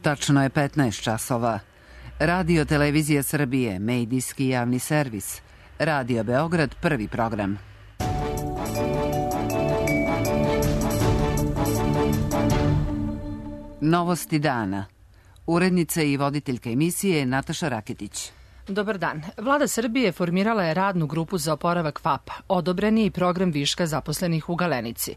Tačno je 15 časova. Radio Televizija Srbije, medijski javni servis. Radio Beograd, prvi program. Novosti dana. Urednica i voditeljka emisije Nataša Raketić. Dobar dan. Vlada Srbije formirala je radnu grupu za oporavak FAP-a. Odobren je i program viška zaposlenih u Galenici.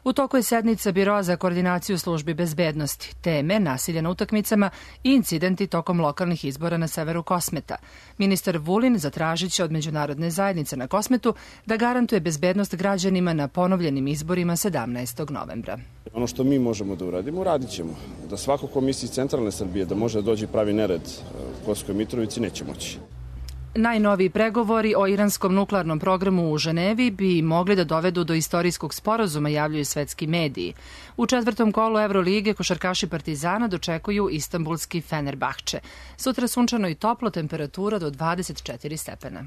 U toku je sednica Biroa za koordinaciju službi bezbednosti, teme nasilja na utakmicama i incidenti tokom lokalnih izbora na severu Kosmeta. Ministar Vulin zatražit će od međunarodne zajednice na Kosmetu da garantuje bezbednost građanima na ponovljenim izborima 17. novembra. Ono što mi možemo da uradimo, radit ćemo. Da svako ko misli iz centralne Srbije da može da dođe pravi nered u Kosovskoj Mitrovici, neće moći. Najnoviji pregovori o iranskom nuklearnom programu u Ženevi bi mogli da dovedu do istorijskog sporazuma, javljaju svetski mediji. U četvrtom kolu Evrolige košarkaši Partizana dočekuju istanbulski Fenerbahče. Sutra sunčano i toplo, temperatura do 24 stepena.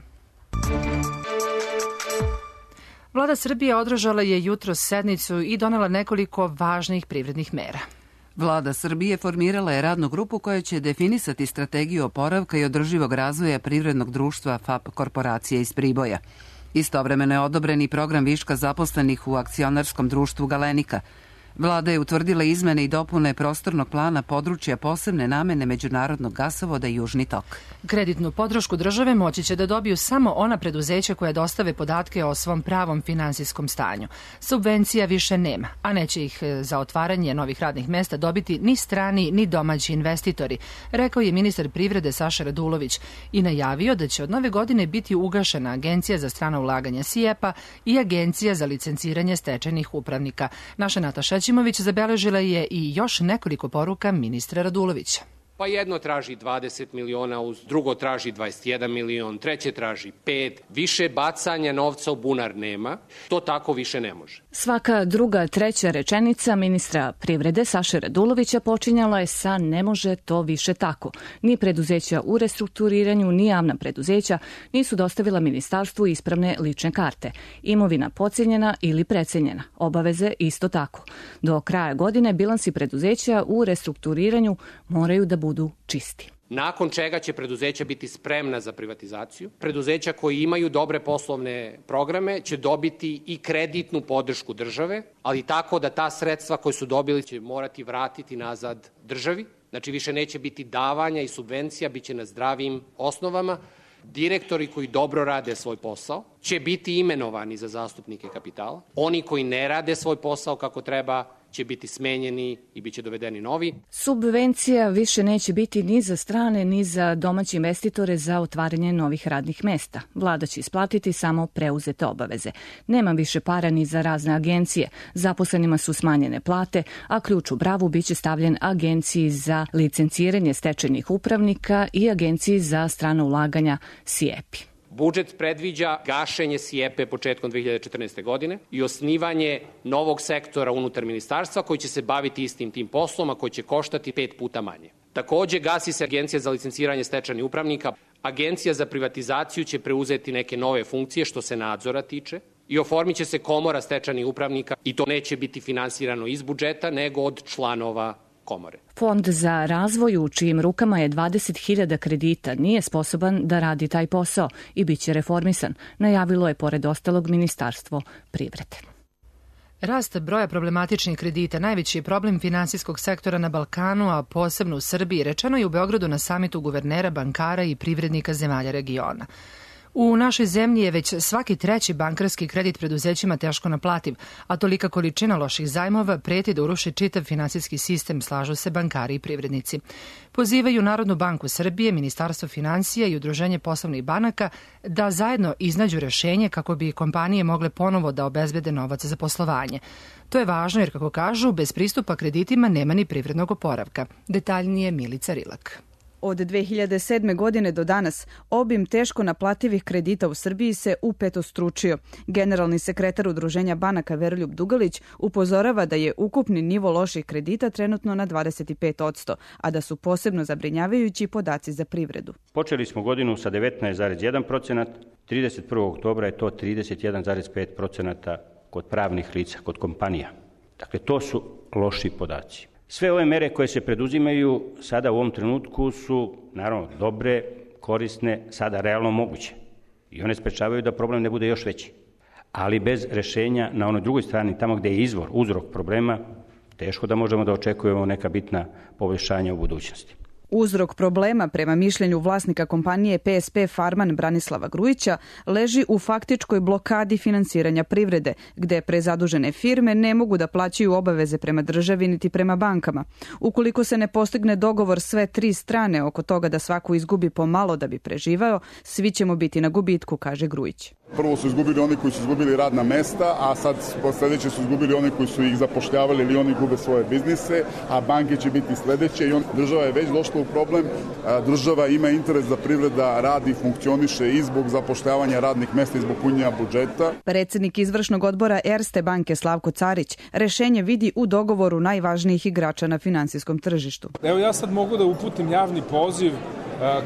Vlada Srbije održala je jutros sednicu i donela nekoliko važnih privrednih mera. Vlada Srbije formirala je radnu grupu koja će definisati strategiju oporavka i održivog razvoja privrednog društva FAP korporacije iz Priboja. Istovremeno je odobren i program viška zaposlenih u akcionarskom društvu Galenika. Vlada je utvrdila izmene i dopune prostornog plana područja posebne namene međunarodnog gasovoda Južni tok. Kreditnu podršku države moći će da dobiju samo ona preduzeća koja dostave podatke o svom pravom finansijskom stanju. Subvencija više nema, a neće ih za otvaranje novih radnih mesta dobiti ni strani ni domaći investitori, rekao je ministar privrede Saša Radulović i najavio da će od nove godine biti ugašena Agencija za strana ulaganja SIEPA i Agencija za licenciranje stečajnih upravnika. Naša Nataša Ćimović zabeležila je i još nekoliko poruka ministra Radulovića. Pa jedno traži 20 miliona, drugo traži 21 milion, treće traži 5. Više bacanja novca u bunar nema. To tako više ne može. Svaka druga, treća rečenica ministra privrede Saše Radulovića počinjala je sa ne može to više tako. Ni preduzeća u restrukturiranju, ni javna preduzeća nisu dostavila ministarstvu ispravne lične karte. Imovina podcijenjena ili precenjena. Obaveze isto tako. Do kraja godine bilansi preduzeća u restrukturiranju moraju da budu čisti. Nakon čega će preduzeća biti spremna za privatizaciju. Preduzeća koji imaju dobre poslovne programe će dobiti i kreditnu podršku države, ali tako da ta sredstva koje su dobili će morati vratiti nazad državi. Znači više neće biti davanja i subvencija, bit će na zdravim osnovama. Direktori koji dobro rade svoj posao će biti imenovani za zastupnike kapitala. Oni koji ne rade svoj posao kako treba će biti smenjeni i bit će dovedeni novi. Subvencija više neće biti ni za strane ni za domaće investitore za otvaranje novih radnih mesta. Vlada će isplatiti samo preuzete obaveze. Nema više para ni za razne agencije. Zaposlenima su smanjene plate, a ključ u bravu biće stavljen Agenciji za licenciranje stečajnih upravnika i Agenciji za strana ulaganja SIEPI. Budžet predviđa gašenje SIEPE početkom 2014. godine i osnivanje novog sektora unutar ministarstva koji će se baviti istim tim poslom, a koji će koštati 5 puta manje. Takođe, gasi se Agencija za licenciranje stečajnih upravnika. Agencija za privatizaciju će preuzeti neke nove funkcije što se nadzora tiče i oformit će se komora stečajnih upravnika i to neće biti finansirano iz budžeta nego od članova komore. Fond za razvoj u čijim rukama je 20.000 kredita nije sposoban da radi taj posao i bit će reformisan, najavilo je pored ostalog Ministarstvo privrede. Rast broja problematičnih kredita najveći je problem finansijskog sektora na Balkanu, a posebno u Srbiji, rečeno je u Beogradu na samitu guvernera, bankara i privrednika zemalja regiona. U našoj zemlji je već svaki treći bankarski kredit preduzećima teško naplativ, a tolika količina loših zajmova preti da uruši čitav finansijski sistem, slažu se bankari i privrednici. Pozivaju Narodnu banku Srbije, Ministarstvo finansija i Udruženje poslovnih banaka da zajedno iznađu rešenje kako bi kompanije mogle ponovo da obezbede novac za poslovanje. To je važno jer, kako kažu, bez pristupa kreditima nema ni privrednog oporavka. Detaljnije Milica Rilak. Od 2007. godine do danas obim teško naplativih kredita u Srbiji se upetostručio. Generalni sekretar Udruženja banaka Veroljub Dugalić upozorava da je ukupni nivo loših kredita trenutno na 25%, a da su posebno zabrinjavajući podaci za privredu. Počeli smo godinu sa 19,1%, 31. oktobra je to 31,5% kod pravnih lica, kod kompanija. Dakle, to su loši podaci. Sve ove mere koje se preduzimaju sada u ovom trenutku su, naravno, dobre, korisne, sada realno moguće. I one sprečavaju da problem ne bude još veći. Ali bez rešenja na onoj drugoj strani, tamo gde je uzrok problema, teško da možemo da očekujemo neka bitna poboljšanja u budućnosti. Uzrok problema, prema mišljenju vlasnika kompanije PSP Farman Branislava Grujića, leži u faktičkoj blokadi finansiranja privrede, gde prezadužene firme ne mogu da plaćaju obaveze prema državi niti prema bankama. Ukoliko se ne postigne dogovor sve tri strane oko toga da svako izgubi pomalo da bi preživao, svi ćemo biti na gubitku, kaže Grujić. Prvo su izgubili oni koji su izgubili radna mesta, a sad sledeće su izgubili oni koji su ih zapošljavali ili oni gube svoje biznise, a banke će biti sledeće i država je već došla u problem. Država ima interes da privreda radi i funkcioniše i zbog zapošljavanja radnih mesta i zbog punjenja budžeta. Predsednik izvršnog odbora Erste banke Slavko Carić rešenje vidi u dogovoru najvažnijih igrača na finansijskom tržištu. Evo ja sad mogu da uputim javni poziv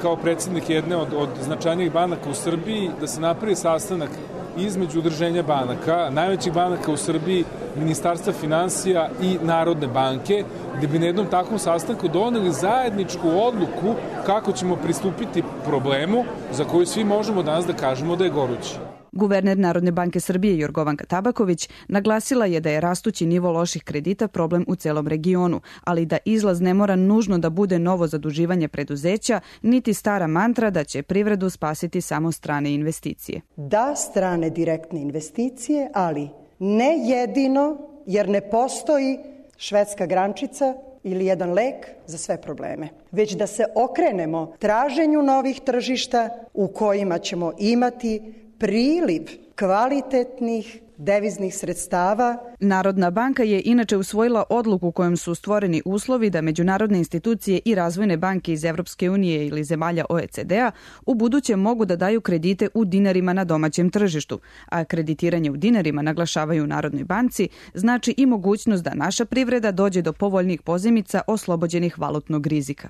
kao predsjednik jedne od značajnijih banaka u Srbiji da se napravi sastanak između udruženja banaka, najvećih banaka u Srbiji, Ministarstva finansija i Narodne banke, gde bi na jednom takvom sastanku doneli zajedničku odluku kako ćemo pristupiti problemu za koju svi možemo danas da kažemo da je gorući. Guverner Narodne banke Srbije Jorgovanka Tabaković naglasila je da je rastući nivo loših kredita problem u celom regionu, ali da izlaz ne mora nužno da bude novo zaduživanje preduzeća, niti stara mantra da će privredu spasiti samo strane investicije. Da, strane direktne investicije, ali ne jedino, jer ne postoji švedska grančica ili jedan lek za sve probleme, već da se okrenemo traženju novih tržišta u kojima ćemo imati priliv kvalitetnih deviznih sredstava. Narodna banka je inače usvojila odluku kojom su stvoreni uslovi da međunarodne institucije i razvojne banke iz Evropske unije ili zemalja OECD-a u buduće mogu da daju kredite u dinarima na domaćem tržištu, a kreditiranje u dinarima, naglašavaju u Narodnoj banci, znači i mogućnost da naša privreda dođe do povoljnih pozajmica oslobođenih valutnog rizika.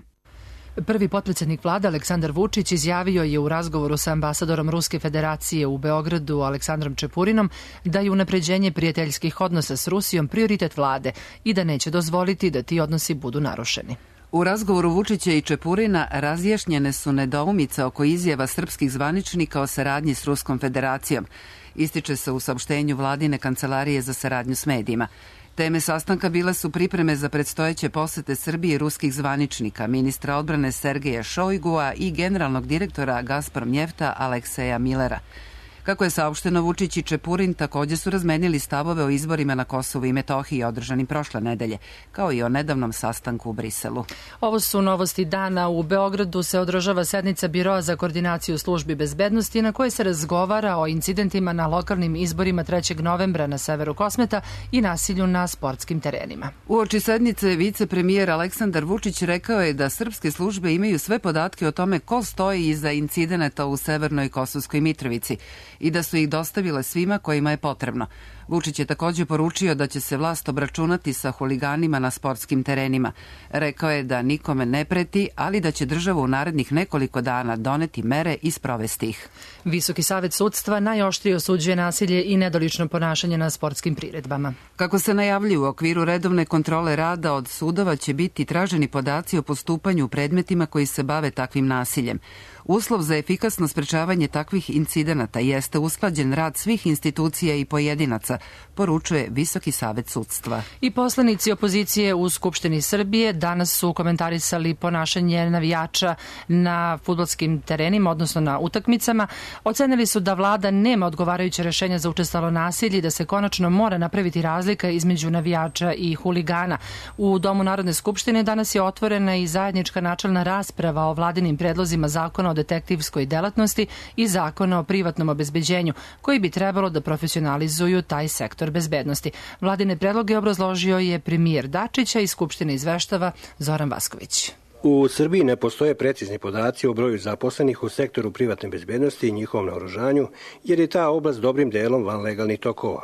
Prvi potpredsjednik vlade Aleksandar Vučić izjavio je u razgovoru sa ambasadorom Ruske federacije u Beogradu Aleksandrom Čepurinom da je unapređenje prijateljskih odnosa s Rusijom prioritet vlade i da neće dozvoliti da ti odnosi budu narušeni. U razgovoru Vučića i Čepurina razjašnjene su nedoumice oko izjava srpskih zvaničnika o saradnji s Ruskom federacijom. Ističe se u saopštenju vladine kancelarije za saradnju s medijima. Teme sastanka bile su pripreme za predstojeće posete Srbije ruskih zvaničnika, ministra odbrane Sergeja Šojgua i generalnog direktora Gazpromnjefta Alekseja Milera. Kako je saopšteno, Vučić i Čepurin takođe su razmenili stavove o izborima na Kosovu i Metohiji održanim prošle nedelje, kao i o nedavnom sastanku u Briselu. Ovo su novosti dana. U Beogradu se održava sednica Biroa za koordinaciju službi bezbednosti na kojoj se razgovara o incidentima na lokalnim izborima 3. novembra na severu Kosmeta i nasilju na sportskim terenima. Uoči sednice vicepremijer Aleksandar Vučić rekao je da srpske službe imaju sve podatke o tome ko stoji iza incidenata u Severnoj Kosovskoj Mitrovici i da su ih dostavile svima kojima je potrebno. Vučić je takođe poručio da će se vlast obračunati sa huliganima na sportskim terenima. Rekao je da nikome ne preti, ali da će država u narednih nekoliko dana doneti mere i sprovesti ih. Visoki savet sudstva najoštrije osuđuje nasilje i nedolično ponašanje na sportskim priredbama. Kako se najavljuje, u okviru redovne kontrole rada od sudova će biti traženi podaci o postupanju u predmetima koji se bave takvim nasiljem. Uslov za efikasno sprečavanje takvih incidenata jeste usklađen rad svih institucija i pojedinaca, poručuje Visoki savet sudstva. I poslanici opozicije u Skupštini Srbije danas su komentarisali ponašanje navijača na fudbalskim terenima, odnosno na utakmicama. Ocenili su da vlada nema odgovarajuće rešenja za učestalo nasilje i da se konačno mora napraviti razlika između navijača i huligana. U Domu Narodne skupštine danas je otvorena i zajednička načelna rasprava o vladinim predlozima zakona o detektivskoj delatnosti i zakona o privatnom obezbeđenju, koji bi trebalo da profesionalizuju taj sektor bezbednosti. Vladine predloge obrazložio je premijer Dačića i Skupštine izveštava Zoran Vasković. U Srbiji ne postoje precizni podaci o broju zaposlenih u sektoru privatne bezbednosti i njihovom naoružanju, jer je ta oblast dobrim delom van legalnih tokova.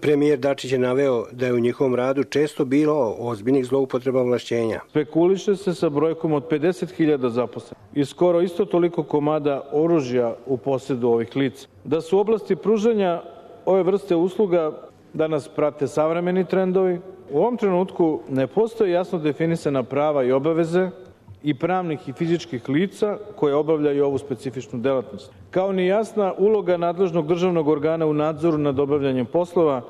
Premijer Dačić je naveo da je u njihovom radu često bilo ozbiljnih zloupotreba ovlašćenja. Spekuliše se sa brojkom od 50.000 zaposlenih i skoro isto toliko komada oružja u posedu ovih lica. Da su u oblasti pružanja ove vrste usluga da nas prate savremeni trendovi. U ovom trenutku ne postoje jasno definisana prava i obaveze i pravnih i fizičkih lica koje obavljaju ovu specifičnu delatnost, kao ni jasna uloga nadležnog državnog organa u nadzoru nad obavljanjem poslova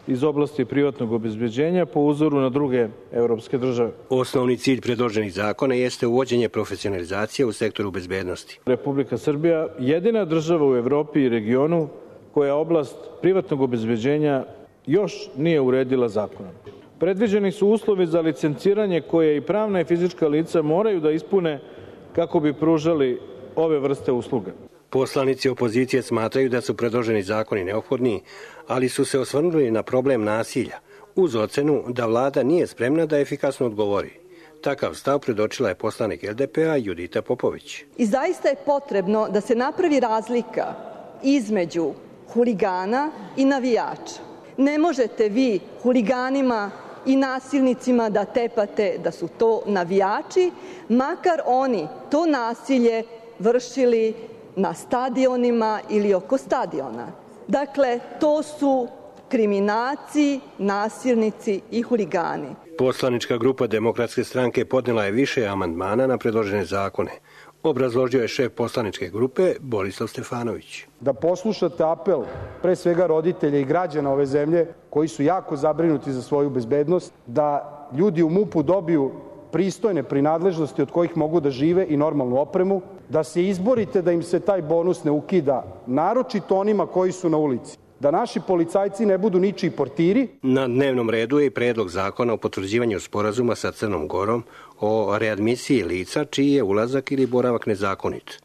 iz oblasti privatnog obezbeđenja po uzoru na druge evropske države. Osnovni cilj predloženih zakona jeste uvođenje profesionalizacije u sektoru bezbednosti. Republika Srbija jedina država u Evropi i regionu koja oblast privatnog obezbeđenja još nije uredila zakonom. Predviđeni su uslovi za licenciranje koje i pravna i fizička lica moraju da ispune kako bi pružali ove vrste usluga. Poslanici opozicije smatraju da su predloženi zakoni neophodni, ali su se osvrnuli na problem nasilja, uz ocenu da vlada nije spremna da efikasno odgovori. Takav stav predočila je poslanik LDP-a Judita Popović. I zaista je potrebno da se napravi razlika između huligana i navijača. Ne možete vi huliganima i nasilnicima da tepate da su to navijači, makar oni to nasilje vršili na stadionima ili oko stadiona. Dakle, to su kriminalci, nasilnici i huligani. Poslanička grupa Demokratske stranke podnela je više amandmana na predložene zakone. Obrazložio je šef poslaničke grupe Borislav Stefanović. Da poslušate apel pre svega roditelja i građana ove zemlje koji su jako zabrinuti za svoju bezbednost, da ljudi u MUP-u dobiju pristojne prinadležnosti od kojih mogu da žive i normalnu opremu, da se izborite da im se taj bonus ne ukida, naročito onima koji su na ulici. Da naši policajci ne budu ničiji portiri. Na dnevnom redu je i predlog zakona o potvrđivanju sporazuma sa Crnom Gorom o readmisiji lica čiji je ulazak ili boravak nezakonit.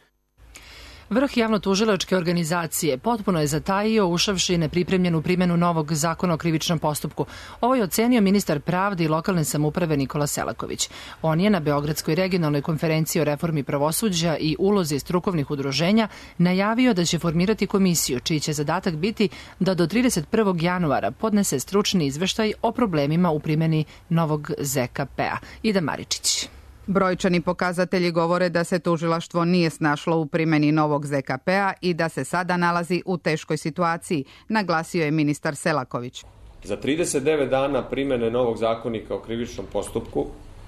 Vrh javno-tužilačke organizacije potpuno je zatajio ušavši nepripremljenu primjenu novog zakona o krivičnom postupku. Ovo je ocenio ministar pravde i lokalne samouprave Nikola Selaković. On je na Beogradskoj regionalnoj konferenciji o reformi pravosuđa i ulozi strukovnih udruženja najavio da će formirati komisiju čiji će zadatak biti da do 31. januara podnese stručni izveštaj o problemima u primjeni novog ZKP-a. Ida Maričić. Brojčani pokazatelji govore da se tužilaštvo nije snašlo u primjeni novog ZKP-a i da se sada nalazi u teškoj situaciji, naglasio je ministar Selaković. Za 39 dana primjene novog zakonika o krivičnom postupku,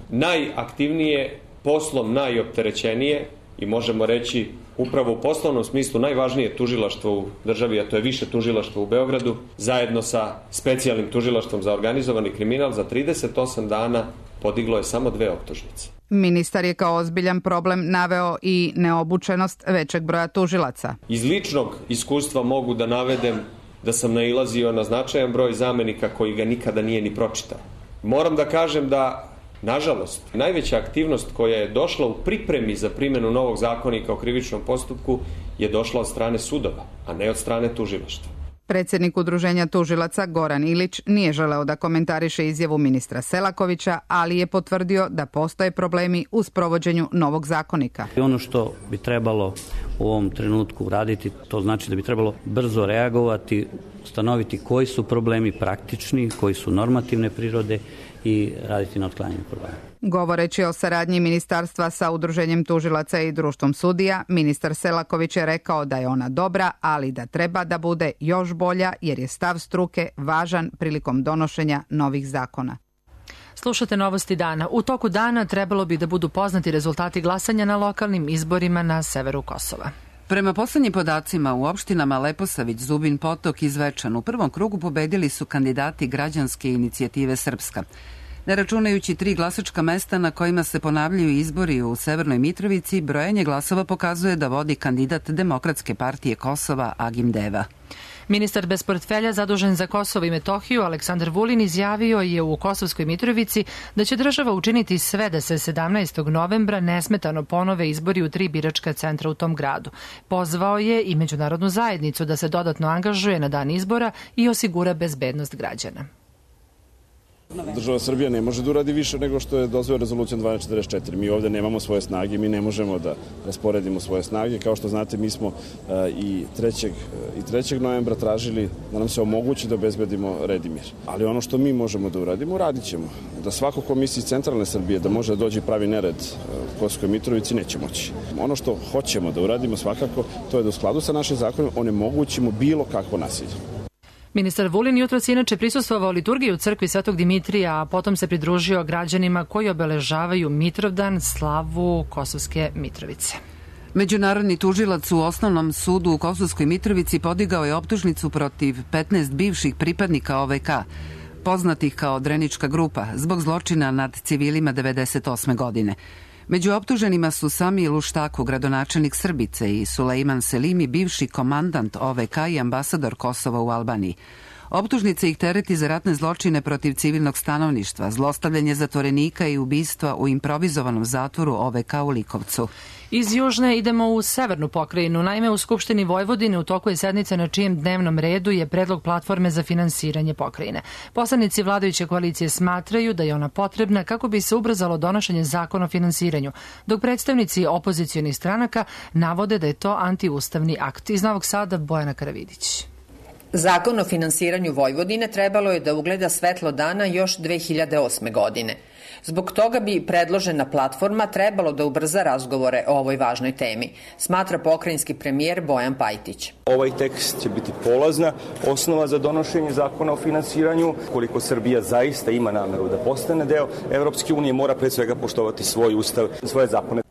najaktivnije, poslom najopterećenije i možemo reći upravo u poslovnom smislu najvažnije tužilaštvo u državi, a to je više tužilaštvo u Beogradu, zajedno sa specijalnim tužilaštvom za organizovani kriminal, za 38 dana podiglo je samo 2 optužnice. Ministar je kao ozbiljan problem naveo i neobučenost većeg broja tužilaca. Iz ličnog iskustva mogu da navedem da sam nailazio na značajan broj zamenika koji ga nikada nije ni pročitao. Moram da kažem da, nažalost, najveća aktivnost koja je došla u pripremi za primjenu novog zakonika o krivičnom postupku je došla od strane sudova, a ne od strane tužilaštva. Predsjednik Udruženja tužilaca Goran Ilić nije želeo da komentariše izjavu ministra Selakovića, ali je potvrdio da postoje problemi u sprovođenju novog zakonika. Ono što bi trebalo u ovom trenutku raditi, to znači da bi trebalo brzo reagovati, ustanoviti koji su problemi praktični, koji su normativne prirode i raditi na otklanjanju problema. Govoreći o saradnji ministarstva sa Udruženjem tužilaca i društvom sudija, ministar Selaković je rekao da je ona dobra, ali da treba da bude još bolja jer je stav struke važan prilikom donošenja novih zakona. Slušate novosti dana. U toku dana trebalo bi da budu poznati rezultati glasanja na lokalnim izborima na severu Kosova. Prema poslednjim podacima u opštinama Leposavić, Zubin Potok i Zvečan u prvom krugu pobedili su kandidati Građanske inicijative Srpska. Ne računajući 3 glasačka mesta na kojima se ponavljaju izbori u Severnoj Mitrovici, brojanje glasova pokazuje da vodi kandidat Demokratske partije Kosova Agim Deva. Ministar bez portfelja zadužen za Kosovo i Metohiju Aleksandar Vulin izjavio je u Kosovskoj Mitrovici da će država učiniti sve da se 17. novembra nesmetano ponove izbori u 3 biračka centra u tom gradu. Pozvao je i međunarodnu zajednicu da se dodatno angažuje na dan izbora i osigura bezbednost građana. Država Srbija ne može da uradi više nego što je dozvoljeno rezolucijom 1244. Mi ovde nemamo svoje snage, mi ne možemo da rasporedimo svoje snage. Kao što znate, mi smo i 3. novembra tražili da nam se omogući da obezbedimo red i mir. Ali ono što mi možemo da uradimo, uradit ćemo. Da svako ko misli iz centralne Srbije da može da dođe i pravi nered u Kosovskoj Mitrovici, neće moći. Ono što hoćemo da uradimo svakako, to je da u skladu sa našim zakonima onemogućimo bilo kakvo nasilje. Ministar Vulin jutros inače prisustvovao liturgiji u crkvi Svetog Dimitrija, a potom se pridružio građanima koji obeležavaju Mitrovdan, slavu Kosovske Mitrovice. Međunarodni tužilac u Osnovnom sudu u Kosovskoj Mitrovici podigao je optužnicu protiv 15 bivših pripadnika OVK, poznatih kao Drenička grupa, zbog zločina nad civilima 1998. godine. Među optuženima su Sami Luštaku, gradonačelnik Srbice, i Sulejman Selimi, bivši komandant OVK i ambasador Kosova u Albaniji. Optužnice ih tereti za ratne zločine protiv civilnog stanovništva, zlostavljanje zatvorenika i ubistva u improvizovanom zatvoru OVK u Likovcu. Iz Južne idemo u severnu pokrajinu. Naime, u Skupštini Vojvodine u toku je sednica na čijem dnevnom redu je predlog platforme za finansiranje pokrajine. Poslanici vladajuće koalicije smatraju da je ona potrebna kako bi se ubrzalo donošenje zakona o finansiranju, dok predstavnici opozicionih stranaka navode da je to antiustavni akt. Iz Novog Sada Bojana Karavidić. Zakon o finansiranju Vojvodine trebalo je da ugleda svetlo dana još 2008. godine. Zbog toga bi predložena platforma trebalo da ubrza razgovore o ovoj važnoj temi, smatra pokrajinski premijer Bojan Pajtić. Ovaj tekst će biti polazna osnova za donošenje zakona o finansiranju. Koliko Srbija zaista ima nameru da postane deo Evropske unije, mora pre svega poštovati svoj ustav, svoje zakone.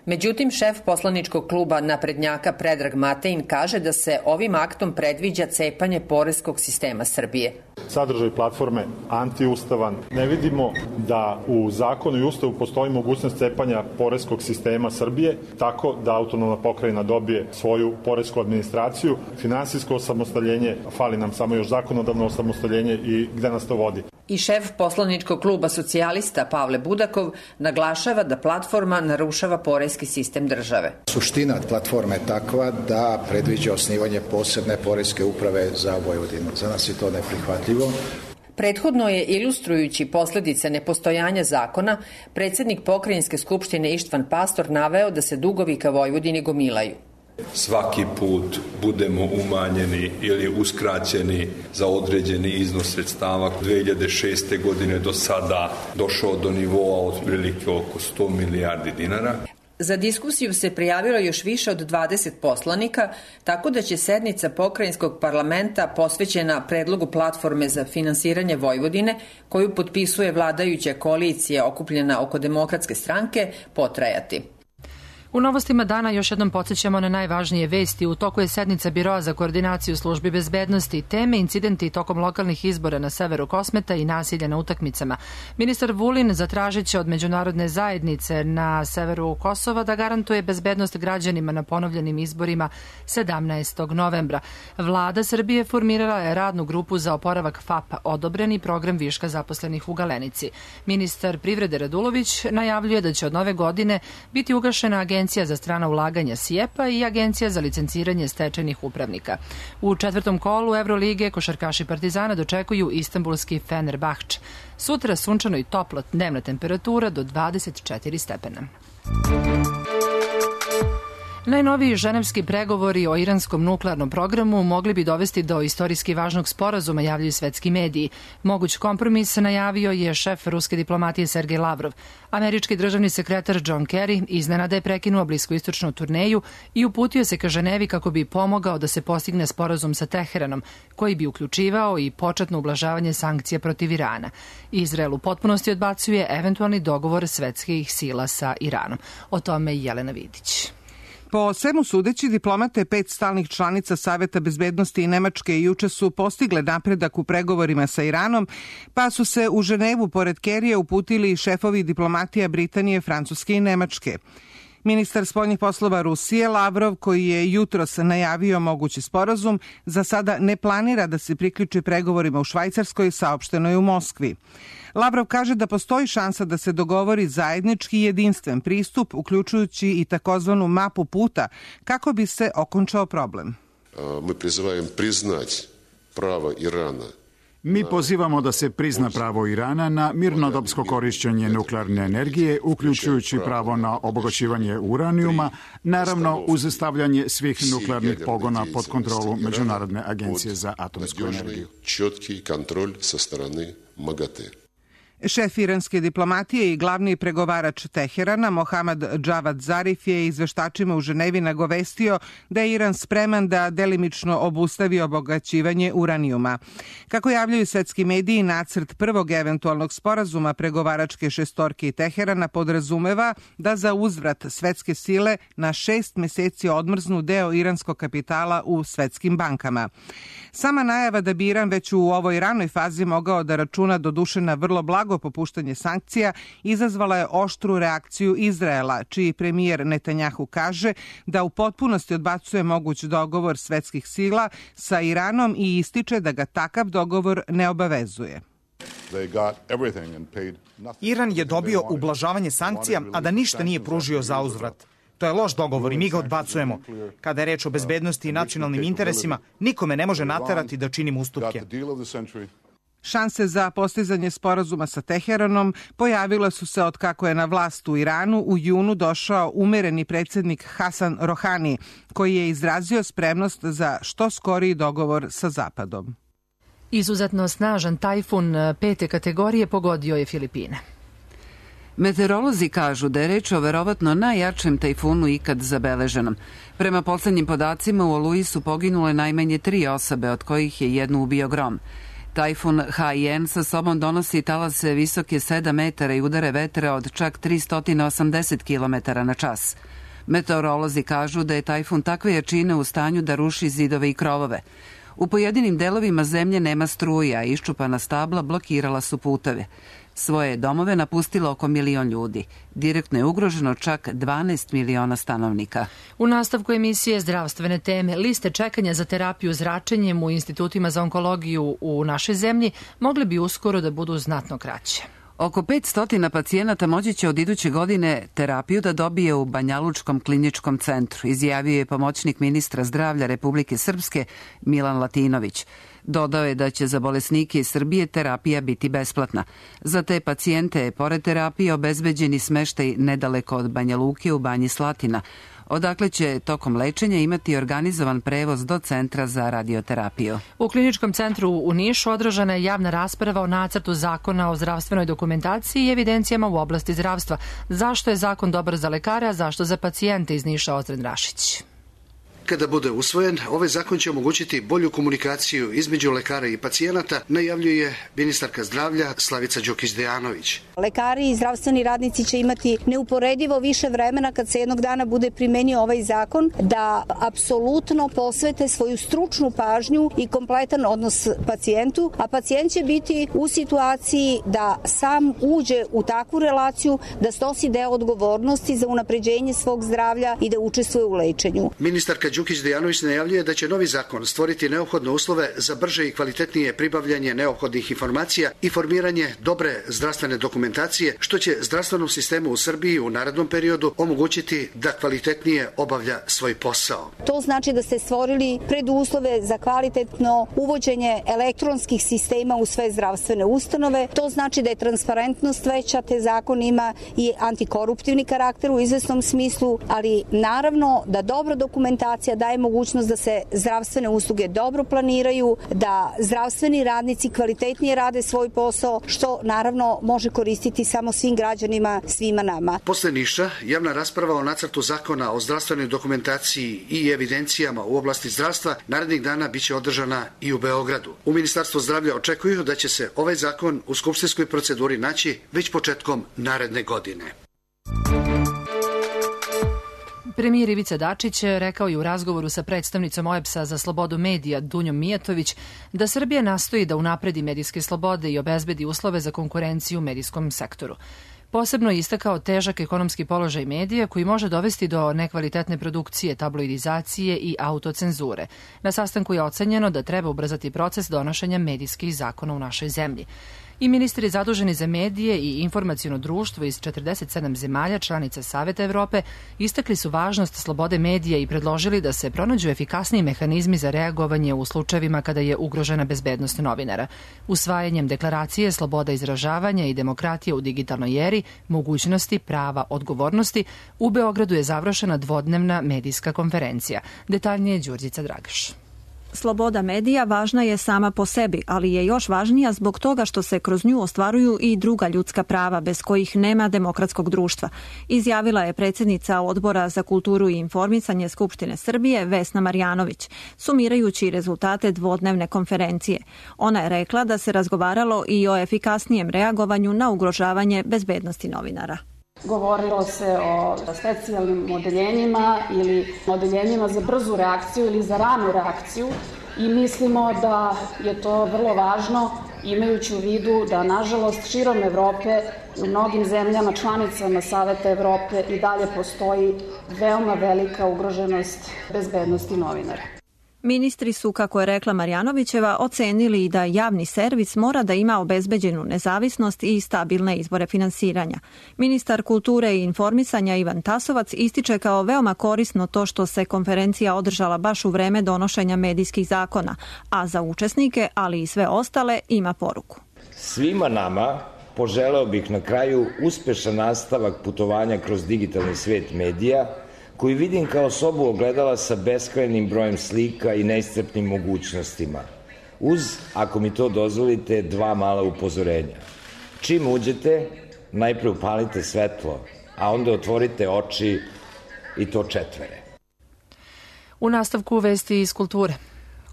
Međutim, šef poslaničkog kluba naprednjaka Predrag Matein kaže da se ovim aktom predviđa cepanje poreskog sistema Srbije. Sadržaj platforme antiustavan. Ne vidimo da u zakonu i ustavu postoji mogućnost cepanja poreskog sistema Srbije, tako da autonomna pokrajina dobije svoju poresku administraciju, finansijsko osamostaljenje, fali nam samo još zakonodavno osamostaljenje i gde nas to vodi. I šef poslaničkog kluba socijalista Pavle Budakov naglašava da platforma narušava poreski sistem države. Suština platforme je takva da predviđa osnivanje posebne poreske uprave za Vojvodinu. Za nas je to neprihvatljivo. Prethodno je, ilustrujući posledice nepostojanja zakona, predsjednik pokrajinske skupštine Ištvan Pastor naveo da se dugovi ka Vojvodini gomilaju. Svaki put budemo umanjeni ili uskraćeni za određeni iznos sredstava. 2006. godine do sada došao do nivoa otprilike oko 100 milijardi dinara. Za diskusiju se prijavilo još više od 20 poslanika, tako da će sednica pokrajinskog parlamenta posvećena predlogu platforme za finansiranje Vojvodine, koju potpisuje vladajuća koalicija okupljena oko Demokratske stranke, potrajati. U novostima dana još jednom podsjećamo na najvažnije vesti. U toku je sednica Biroa za koordinaciju službi bezbednosti, teme incidenti tokom lokalnih izbora na severu Kosmeta i nasilja na utakmicama. Ministar Vulin zatražit će od međunarodne zajednice na severu Kosova da garantuje bezbednost građanima na ponovljenim izborima 17. novembra. Vlada Srbije formirala je radnu grupu za oporavak FAP, odobreni program viška zaposlenih u Galenici. Ministar privrede Radulović najavljuje da će od nove godine biti ugašena Agencija za strana ulaganja SIEPA i Agencija za licenciranje stečajnih upravnika. U četvrtom kolu Evrolige košarkaši Partizana dočekuju istanbulski Fenerbahče. Sutra sunčano i toplo, dnevna temperatura do 24 stepena. Najnoviji ženevski pregovori o iranskom nuklearnom programu mogli bi dovesti do istorijski važnog sporazuma, javljaju svetski mediji. Moguć kompromis najavio je šef ruske diplomatije Sergej Lavrov. Američki državni sekretar John Kerry iznenada je prekinuo bliskoistočnu turneju i uputio se ka Ženevi kako bi pomogao da se postigne sporazum sa Teheranom, koji bi uključivao i početno ublažavanje sankcija protiv Irana. Izrael u potpunosti odbacuje eventualni dogovor svetskih sila sa Iranom. O tome Jelena Vidić. Po svemu sudeći, diplomate 5 stalnih članica Saveta bezbednosti i Nemačke juče su postigle napredak u pregovorima sa Iranom, pa su se u Ženevu pored Kerija uputili šefovi diplomatija Britanije, Francuske i Nemačke. Ministar spoljnih poslova Rusije Lavrov, koji je jutros najavio mogući sporazum, za sada ne planira da se priključi pregovorima u Švajcarskoj, saopšteno je u Moskvi. Lavrov kaže da postoji šansa da se dogovori zajednički jedinstven pristup, uključujući i takozvanu mapu puta, kako bi se okončao problem. Mi pozivamo da se prizna pravo Irana na mirnodopsko korišćenje nuklearne energije, uključujući pravo na obogaćivanje uranijuma, naravno uz stavljanje svih nuklearnih pogona pod kontrolu Međunarodne agencije za atomsku energiju. Šef iranske diplomatije i glavni pregovarač Teherana, Mohammad Javad Zarif, je izveštačima u Ženevi nagovestio da je Iran spreman da delimično obustavi obogaćivanje uranijuma. Kako javljaju svetski mediji, nacrt prvog eventualnog sporazuma pregovaračke šestorke i Teherana podrazumeva da za uzvrat svetske sile na 6 meseci odmrznu deo iranskog kapitala u svetskim bankama. Sama najava da bi Iran već u ovoj ranoj fazi mogao da računa doduše na vrlo blago popuštanje sankcija izazvala je oštru reakciju Izraela, čiji premijer Netanjahu kaže da u potpunosti odbacuje moguć dogovor svetskih sila sa Iranom i ističe da ga takav dogovor ne obavezuje. Iran je dobio ublažavanje sankcija, a da ništa nije pružio za uzvrat. To je loš dogovor i mi ga odbacujemo. Kada je reč o bezbednosti i nacionalnim interesima, nikome ne može naterati da činimo ustupke. Šanse za postizanje sporazuma sa Teheranom pojavile su se od kako je na vlast u Iranu u junu došao umereni predsjednik Hasan Rohani, koji je izrazio spremnost za što skoriji dogovor sa Zapadom. Izuzetno snažan tajfun 5. kategorije pogodio je Filipine. Meteorolozi kažu da je reč o verovatno najjačem tajfunu ikad zabeleženom. Prema poslednjim podacima u Oluji su poginule najmanje 3 osobe, od kojih je jednu ubio grom. Tajfun Haiyan sa sobom donosi talase visoke 7 metara i udare vetra od čak 380 km na čas. Meteorolozi kažu da je tajfun takve jačine u stanju da ruši zidove i krovove. U pojedinim delovima zemlje nema struja, a iščupana stabla blokirala su puteve. Svoje domove napustilo oko 1 milion ljudi. Direktno je ugroženo čak 12 miliona stanovnika. U nastavku emisije zdravstvene teme, liste čekanja za terapiju zračenjem u institutima za onkologiju u našoj zemlji mogle bi uskoro da budu znatno kraće. Oko 500 pacijenata moći će od iduće godine terapiju da dobije u Banjalučkom kliničkom centru, izjavio je pomoćnik ministra zdravlja Republike Srpske Milan Latinović. Dodao je da će za bolesnike iz Srbije terapija biti besplatna. Za te pacijente je pored terapije obezbeđeni smeštaj nedaleko od Banja Luke u Banji Slatina, odakle će tokom lečenja imati organizovan prevoz do centra za radioterapiju. U kliničkom centru u Nišu održana je javna rasprava o nacrtu zakona o zdravstvenoj dokumentaciji i evidencijama u oblasti zdravstva. Zašto je zakon dobar za lekare, a zašto za pacijente, iz Niša Ozren Rašić. Kada bude usvojen, ovaj zakon će omogućiti bolju komunikaciju između lekara i pacijenata, najavljuje ministarka zdravlja Slavica Đukić-Dejanović. Lekari i zdravstveni radnici će imati neuporedivo više vremena kad se jednog dana bude primenio ovaj zakon da apsolutno posvete svoju stručnu pažnju i kompletan odnos pacijentu, a pacijent će biti u situaciji da sam uđe u takvu relaciju da snosi deo odgovornosti za unapređenje svog zdravlja i da učestvuje u lečenju. Ministarka Đukić-Dejanović najavljuje da će novi zakon stvoriti neophodne uslove za brže i kvalitetnije pribavljanje neophodnih informacija i formiranje dobre zdravstvene dokumentacije, što će zdravstvenom sistemu u Srbiji u narednom periodu omogućiti da kvalitetnije obavlja svoj posao. To znači da ste stvorili preduslove za kvalitetno uvođenje elektronskih sistema u sve zdravstvene ustanove. To znači da je transparentnost veća, te zakon ima i antikoruptivni karakter u izvesnom smislu, ali naravno da dobra dokumentacija daje mogućnost da se zdravstvene usluge dobro planiraju, da zdravstveni radnici kvalitetnije rade svoj posao, što naravno može koristiti samo svim građanima, svima nama. Posle Niša, javna rasprava o nacrtu zakona o zdravstvenoj dokumentaciji i evidencijama u oblasti zdravstva narednih dana biće održana i u Beogradu. U Ministarstvu zdravlja očekuju da će se ovaj zakon u skupštinskoj proceduri naći već početkom naredne godine. Premijer Ivica Dačić rekao je u razgovoru sa predstavnicom OEBS-a za slobodu medija Dunjom Mijatović da Srbija nastoji da unapredi medijske slobode i obezbedi uslove za konkurenciju u medijskom sektoru. Posebno je istakao težak ekonomski položaj medija koji može dovesti do nekvalitetne produkcije, tabloidizacije i autocenzure. Na sastanku je ocenjeno da treba ubrzati proces donošenja medijskih zakona u našoj zemlji. I ministri zaduženi za medije i informaciono društvo iz 47 zemalja članica Saveta Evrope istakli su važnost slobode medija i predložili da se pronađu efikasniji mehanizmi za reagovanje u slučajevima kada je ugrožena bezbednost novinara. Usvajanjem deklaracije sloboda izražavanja i demokratija u digitalnoj eri, mogućnosti, prava, odgovornosti, u Beogradu je završena dvodnevna medijska konferencija. Detaljnije Đurđica Dragaš. Sloboda medija važna je sama po sebi, ali je još važnija zbog toga što se kroz nju ostvaruju i druga ljudska prava bez kojih nema demokratskog društva, izjavila je predsjednica Odbora za kulturu i informisanje Skupštine Srbije Vesna Marjanović, sumirajući rezultate dvodnevne konferencije. Ona je rekla da se razgovaralo i o efikasnijem reagovanju na ugrožavanje bezbednosti novinara. Govorilo se o specijalnim odeljenjima ili odeljenjima za brzu reakciju ili za ranu reakciju i mislimo da je to vrlo važno imajući u vidu da nažalost širom Evrope u mnogim zemljama članicama Saveta Evrope i dalje postoji veoma velika ugroženost bezbednosti novinara. Ministri su, kako je rekla Marjanovićeva, ocenili da javni servis mora da ima obezbeđenu nezavisnost i stabilne izvore finansiranja. Ministar kulture i informisanja Ivan Tasovac ističe kao veoma korisno to što se konferencija održala baš u vreme donošenja medijskih zakona, a za učesnike, ali i sve ostale, ima poruku. Svima nama poželeo bih na kraju uspešan nastavak putovanja kroz digitalni svet medija, koji vidim kao sobu ogledala sa beskrajnim brojem slika i neiscrpnim mogućnostima. Uz, ako mi to dozvolite, dva mala upozorenja. Čim uđete, najpre upalite svetlo, a onda otvorite oči i to četvere. U nastavku vesti iz kulture.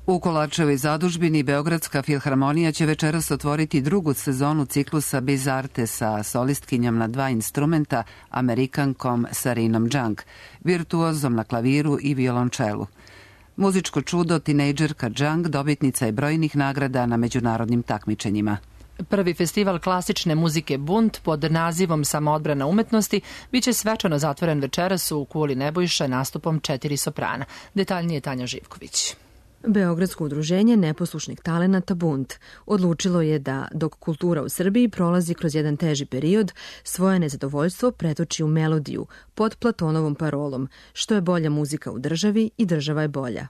U Kolarčevoj zadužbini Beogradska filharmonija će večeras otvoriti drugu sezonu ciklusa Biz Arte sa solistkinjom na dva instrumenta, Amerikankom Sarinom Junk, virtuozom na klaviru i violončelu. Muzičko čudo, tinejdžerka Junk dobitnica je brojnih nagrada na međunarodnim takmičenjima. Prvi festival klasične muzike Bunt pod nazivom Samoodbrana umetnosti biće svečano zatvoren večeras u Kuli Nebojša nastupom 4 soprana. Detaljnije Tanja Živković. Beogradsko udruženje neposlušnih talenata Bunt odlučilo je da, dok kultura u Srbiji prolazi kroz jedan teži period, svoje nezadovoljstvo pretoči u melodiju pod Platonovom parolom, što je bolja muzika u državi i država je bolja.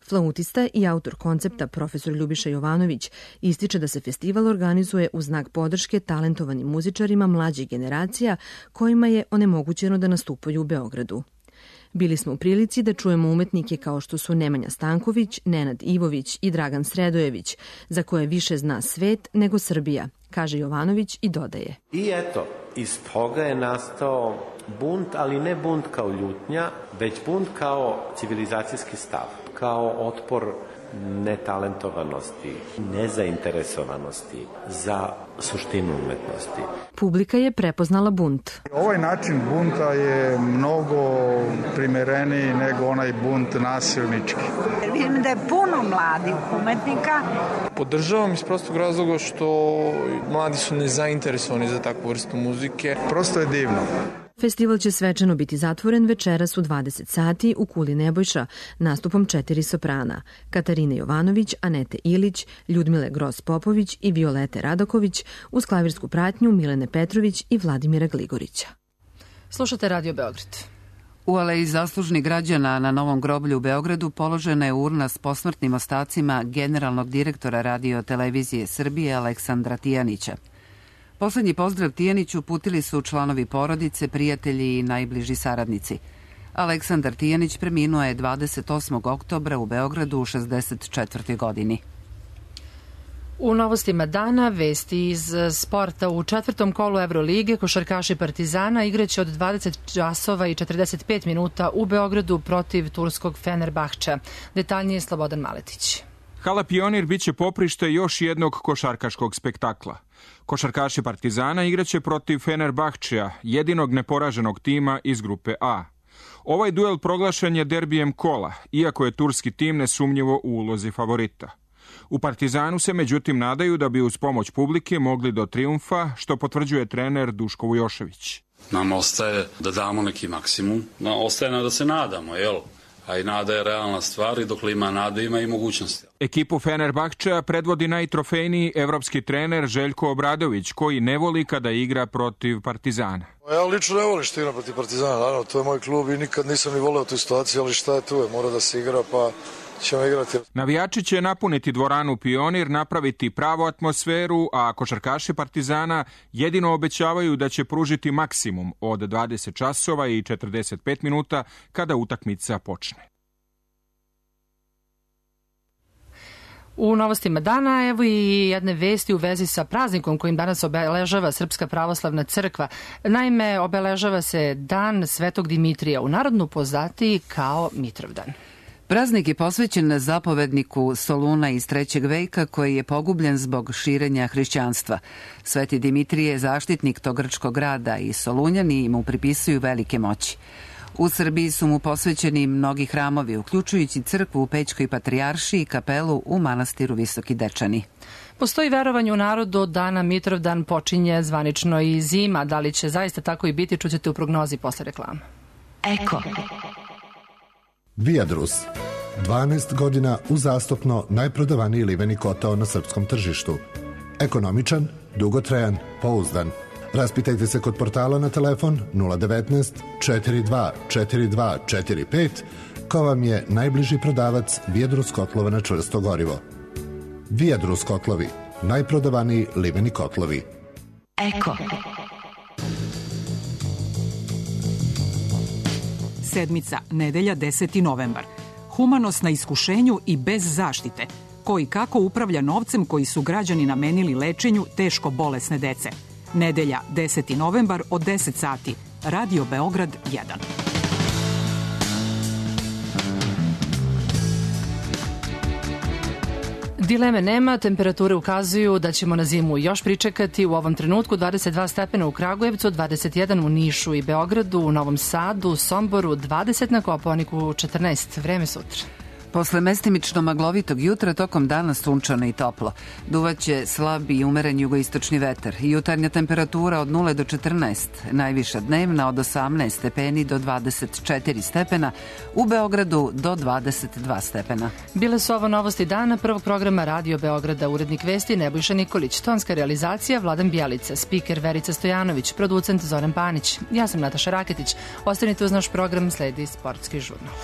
Flautista i autor koncepta profesor Ljubiša Jovanović ističe da se festival organizuje u znak podrške talentovanim muzičarima mlađih generacija kojima je onemogućeno da nastupaju u Beogradu. Bili smo u prilici da čujemo umetnike kao što su Nemanja Stanković, Nenad Ivović i Dragan Sredojević, za koje više zna svet nego Srbija, kaže Jovanović i dodaje. I eto, iz toga je nastao bunt, ali ne bunt kao ljutnja, već bunt kao civilizacijski stav, kao otpor netalentovanosti, nezainteresovanosti za suštinu umetnosti. Publika je prepoznala bunt. Ovaj način bunta je mnogo primereniji nego onaj bunt nasilnički. Vidim da je puno mladih umetnika. Podržavam iz prostog razloga što mladi su nezainteresovani za takvu vrstu muzike. Prosto je divno. Festival će svečano biti zatvoren večeras u 20 sati u Kuli Nebojša nastupom 4 soprana, Katarine Jovanović, Anete Ilić, Ljudmile Gros-Popović i Violete Radaković, uz klavirsku pratnju Milene Petrović i Vladimira Gligorića. Slušate Radio Beograd. U aleji zaslužnih građana na Novom groblju u Beogradu položena je urna s posmrtnim ostacima generalnog direktora Radio televizije Srbije Aleksandra Tijanića. Poslednji pozdrav Tijaniću uputili su članovi porodice, prijatelji i najbliži saradnici. Aleksandar Tijanić preminuo je 28. oktobra u Beogradu u 64. godini. U novostima dana vesti iz sporta. U četvrtom kolu Evrolige košarkaši Partizana igraće od 20 časova i 45 minuta u Beogradu protiv turskog Fenerbahča. Detaljnije Slobodan Maletić. Hala Pionir biće poprište još jednog košarkaškog spektakla. Košarkaši Partizana igraće protiv Fenerbahčeja, jedinog neporaženog tima iz grupe A. Ovaj duel proglašen je derbijem kola, iako je turski tim nesumnjivo u ulozi favorita. U Partizanu se međutim nadaju da bi uz pomoć publike mogli do trijumfa, što potvrđuje trener Duško Vujošević. Nama ostaje da damo neki maksimum, ostaje nam da se nadamo, jel? A i nada je realna stvar i dok ima nada ima i mogućnosti. Ekipu Fenerbahčeja predvodi najtrofejniji evropski trener Željko Obradović, koji ne voli kada igra protiv Partizana. Ja lično ne volim što igram protiv Partizana, naravno, to je moj klub i nikad nisam ni voleo tu situaciju, ali šta je tu, mora da se igra, pa ćemo igrati. Navijači će napuniti dvoranu Pionir, napraviti pravu atmosferu, a košarkaši Partizana jedino obećavaju da će pružiti maksimum od 20 časova i 45 minuta kada utakmica počne. U novostima dana evo i jedne vesti u vezi sa praznikom kojim danas obeležava Srpska pravoslavna crkva. Naime, obeležava se Dan Svetog Dimitrija, u narodnu poznatiji kao Mitrovdan. Praznik je posvećen zapovedniku Soluna iz 3. veka koji je pogubljen zbog širenja hrišćanstva. Sveti Dimitrije je zaštitnik tog grčkog grada i Solunjani mu pripisuju velike moći. U Srbiji su mu posvećeni mnogi hramovi, uključujući crkvu u Pećkoj patrijaršiji i kapelu u manastiru Visoki Dečani. Postoji verovanje u narodu od dana Mitrovdan počinje zvanično i zima. Da li će zaista tako i biti, čućete u prognozi posle reklama. Eko. Viadrus. 12 godina uzastopno najprodavaniji liveni kotao na srpskom tržištu. Ekonomičan, dugotrajan, pouzdan. Raspitajte se kod portala na telefon 019 42 42 45 ko vam je najbliži prodavac Viadrus kotlova na čvrsto gorivo. Viadrus kotlovi, najprodavaniji liveni kotlovi. Eko. Sedmica, nedelja 10. novembar. Humanost na iskušenju i bez zaštite. Ko i kako upravlja novcem koji su građani namenili lečenju teško bolesne dece. Nedelja 10. novembar od 10 sati. Radio Beograd 1. Dileme nema, temperature ukazuju da ćemo na zimu još pričekati. U ovom trenutku 22 stepena u Kragujevcu, 21 u Nišu i Beogradu, u Novom Sadu, Somboru, 20 na Kopaoniku, 14. Vreme sutra. Posle mestimično maglovitog jutra tokom dana sunčano i toplo. Duvaće slab i umeren jugoistočni vetar. Jutarnja temperatura od 0 do 14, najviša dnevna od 18 stepeni do 24 stepena, u Beogradu do 22 stepena. Bile su ovo novosti dana prvog programa Radio Beograda. Urednik vesti Nebojša Nikolić, tonska realizacija Vladan Bjelica, spiker Verica Stojanović, producent Zoran Panić. Ja sam Nataša Raketić. Ostanite uz naš program, sledi Sportski žurnal.